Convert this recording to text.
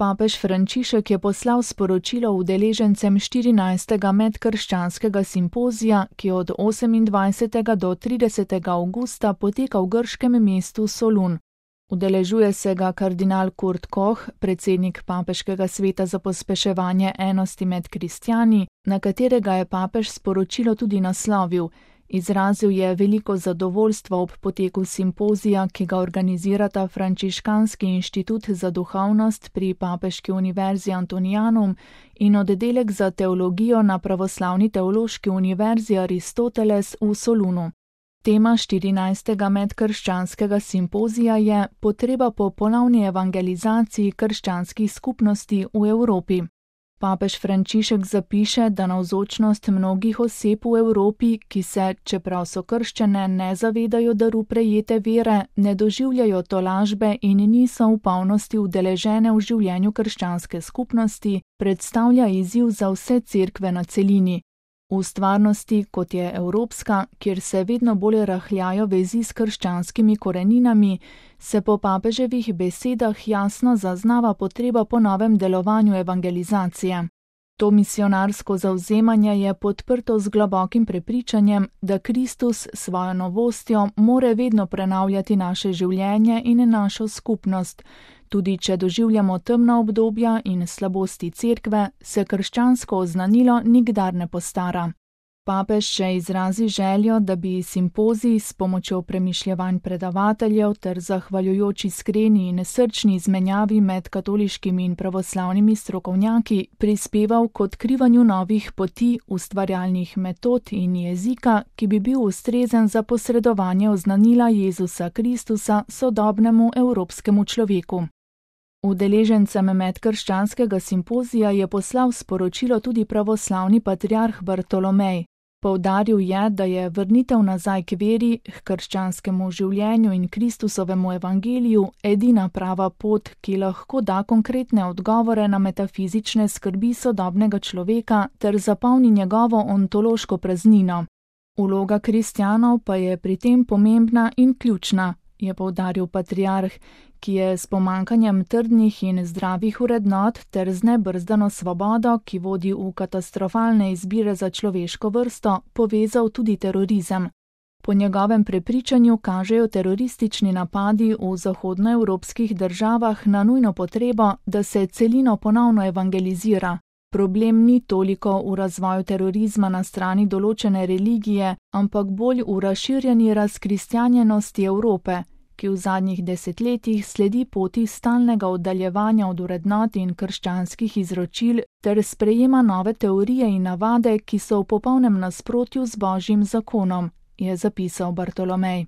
Papež Frančišek je poslal sporočilo udeležencem 14. medkrščanskega simpozija, ki od 28. do 30. avgusta poteka v grškem mestu Solun. Udeležuje se ga kardinal Kurt Koch, predsednik Papeškega sveta za pospeševanje enosti med kristjani, na katerega je papež sporočilo tudi naslovil. Izrazil je veliko zadovoljstvo ob poteku simpozija, ki ga organizirata Frančiškanski inštitut za duhovnost pri Papeški univerzi Antonianum in oddelek za teologijo na Pravoslavni teološki univerzi Aristoteles v Solunu. Tema 14. medkrščanskega simpozija je potreba po ponovni evangelizaciji krščanskih skupnosti v Evropi. Papež Frančišek zapiše, da navzočnost mnogih oseb v Evropi, ki se, čeprav so krščene, ne zavedajo daru prejete vere, ne doživljajo tolažbe in niso v polnosti udeležene v življenju krščanske skupnosti, predstavlja izziv za vse cerkve na celini. V stvarnosti, kot je evropska, kjer se vedno bolj rahljajo vezi s krščanskimi koreninami, se po papeževih besedah jasno zaznava potreba po novem delovanju evangelizacije. To misionarsko zavzemanje je podprto z globokim prepričanjem, da Kristus s svojo novostjo more vedno prenavljati naše življenje in našo skupnost. Tudi če doživljamo temna obdobja in slabosti cerkve, se krščansko oznanilo nikdar ne postara. Papež še izrazi željo, da bi simpozij s pomočjo premišljevanj predavateljev ter zahvaljujoč iskreni in srčni izmenjavi med katoliškimi in pravoslavnimi strokovnjaki prispeval k odkrivanju novih poti, ustvarjalnih metod in jezika, ki bi bil ustrezen za posredovanje oznanila Jezusa Kristusa sodobnemu evropskemu človeku. Udeležencem medkrščanskega simpozija je poslal sporočilo tudi pravoslavni patriarh Bartolomej. Poudaril je, da je vrnitev nazaj k veri, k krščanskemu življenju in Kristusovemu evangeliju edina prava pot, ki lahko da konkretne odgovore na metafizične skrbi sodobnega človeka ter zapolni njegovo ontološko praznino. Vloga kristjanov pa je pri tem pomembna in ključna, je poudaril patriarh, ki je s pomankanjem trdnih in zdravih vrednot ter z nebrzdano svobodo, ki vodi v katastrofalne izbire za človeško vrsto, povezal tudi terorizem. Po njegovem prepričanju kažejo teroristični napadi v zahodnoevropskih državah na nujno potrebo, da se celino ponovno evangelizira. Problem ni toliko v razvoju terorizma na strani določene religije, ampak bolj v razširjeni razkristjanjenosti Evrope, ki v zadnjih desetletjih sledi poti stalnega oddaljevanja od vrednot in krščanskih izročil ter sprejema nove teorije in navade, ki so v popolnem nasprotju z Božjim zakonom, je zapisal Bartolomej.